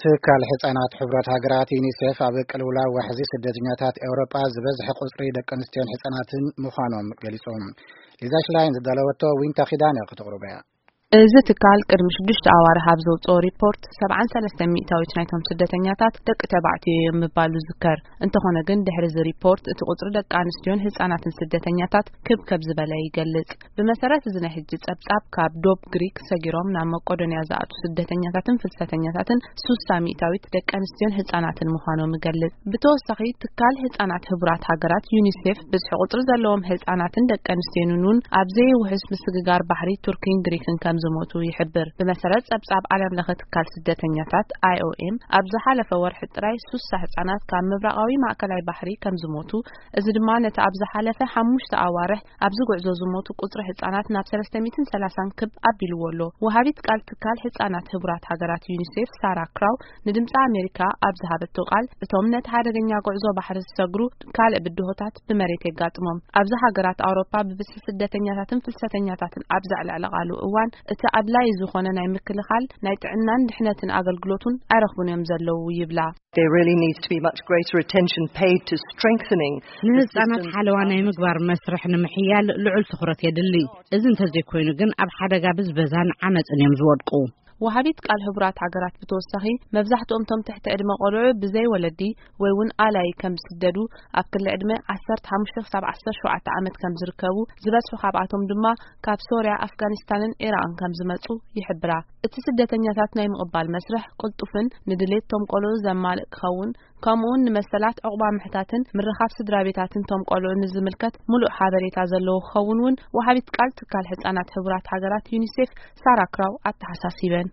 ትካል ሕጻናት ሕቡራት ሃገራት ዩኒሴፍ ኣብ ቅልውላው ዋሕዚ ስደተኛታት ኤውሮጳ ዝበዝሐ ቁጽሪ ደቂ ኣንስትዮን ሕጻናትን ምዃኖም ገሊጹ። ሊዛ ሽላይን ዝዳለወቶ ዊንታ ኺዳነ ክትቕርቦ እያ። እዚ ትካል ቅድሚ ሽዱሽተ ኣዋርሕ ኣብ ዘውጽኦ ሪፖርት፣ ሰብዓን ሰለስተን ሚእታዊት ናይቶም ስደተኛታት ደቂ ተባዕትዮ እዮም ምባሉ ዝዝከር። እንተኾነ ግን፣ ድሕሪ እዚ ሪፖርት፣ እቲ ቁጽሪ ደቂ ኣንስትዮን ህጻናትን ስደተኛታት ክብ ከብ ዝበለ ይገልጽ። ብመሰረት እዚ ናይ ሕጂ ጸብጻብ፣ ካብ ዶብ ግሪክ ሰጊሮም ናብ መቄዶንያ ዝኣቱ ስደተኛታትን ፍልሰተኛታትን ሱሳ ሚእታዊት ደቂ ኣንስትዮን ህጻናትን ምዃኖም ይገልጽ። ብተወሳኺ፣ ትካል ህጻናት ህቡራት ሃገራት ዩኒሴፍ፣ ብዝሒ ቁጽሪ ዘለዎም ህጻናትን ደቂ ኣንስትዮን እውን ኣብ ዘይውሕስ ምስግጋር ባሕሪ ቱርኪን ግሪክን ከም ዝሞቱ ይሕብር። ብመሰረት ጸብጻብ ዓለም ለኸ ትካል ስደተኛታት፣ ኣይ ኦ ኤም፣ ኣብ ዝሓለፈ ወርሒ ጥራይ ሱሳ ህጻናት ካብ ምብራቓዊ ማእከላይ ባሕሪ ከም ዝሞቱ፣ እዚ ድማ ነቲ ኣብ ዝሓለፈ ሓሙሽተ ኣዋርሕ ኣብዚ ጉዕዞ ዝሞቱ ቁጽሪ ህጻናት ናብ ሰለስተ ሚእትን ሰላሳን ክብ ኣቢልዎ ኣሎ። ወሃቢት ቃል ትካል ህጻናት ህቡራት ሃገራት ዩኒሴፍ፣ ሳራ ክራው፣ ንድምጺ ኣሜሪካ ኣብ ዝሃበቶ ቃል፣ እቶም ነቲ ሓደገኛ ጉዕዞ ባሕሪ ዝሰግሩ፣ ካልእ ብድሆታት ብመሬት የጋጥሞም። ኣብዚ ሃገራት ኣውሮፓ ብብዝሒ ስደተኛታትን ፍልሰተኛታትን ኣብ ዘዕለዕለቓሉ እዋን፣ እቲ ኣድላዪ ዝኾነ ናይ ምክልኻል፣ ናይ ጥዕናን ድሕነትን ኣገልግሎት እውን ኣይረኽቡን እዮም ዘለዉ ይብላ። There really needs to be much greater attention paid to strengthening ንህጻናት ሓለዋ ናይ ምግባር መስርሕ ንምሕያል ልዑል ትኹረት የድሊ። እዚ እንተዘይኮይኑ ግን፣ ኣብ ሓደጋ ብዝበዛን ዓመጽን እዮም ዝወድቁ። ወሃቢት ቃል ህቡራት ሃገራት ብተወሳኺ፣ መብዛሕትኦም እቶም ትሕቲ ዕድመ ቆልዑ ብዘይ ወለዲ ወይ እውን ኣላይ ከም ዝስደዱ፣ ኣብ ክሊ ዕድመ ዓሰርተ ሓሙሽተ ክሳብ ዓሰርተ ሸውዓተ ዓመት ከም ዝርከቡ፣ ዝበዝሑ ካብኣቶም ድማ ካብ ሶርያ፣ ኣፍጋኒስታንን ኢራቕን ከም ዝመጹ ይሕብራ። እቲ ስደተኛታት ናይ ምቕባል መስርሕ ቅልጡፍን ንድሌት እቶም ቆልዑ ዘማልእ ክኸውን፣ ከምኡውን ንመሰላት ዕቑባ ምሕታትን ምርኻብ ስድራ ቤታትን እቶም ቆልዑ ንዝምልከት ምሉእ ሓበሬታ ዘለዎ ክኸውን እውን፣ ወሃቢት ቃል ትካል ህጻናት ህቡራት ሃገራት ዩኒሴፍ፣ ሳራ ክራው፣ ኣተሓሳሲበን።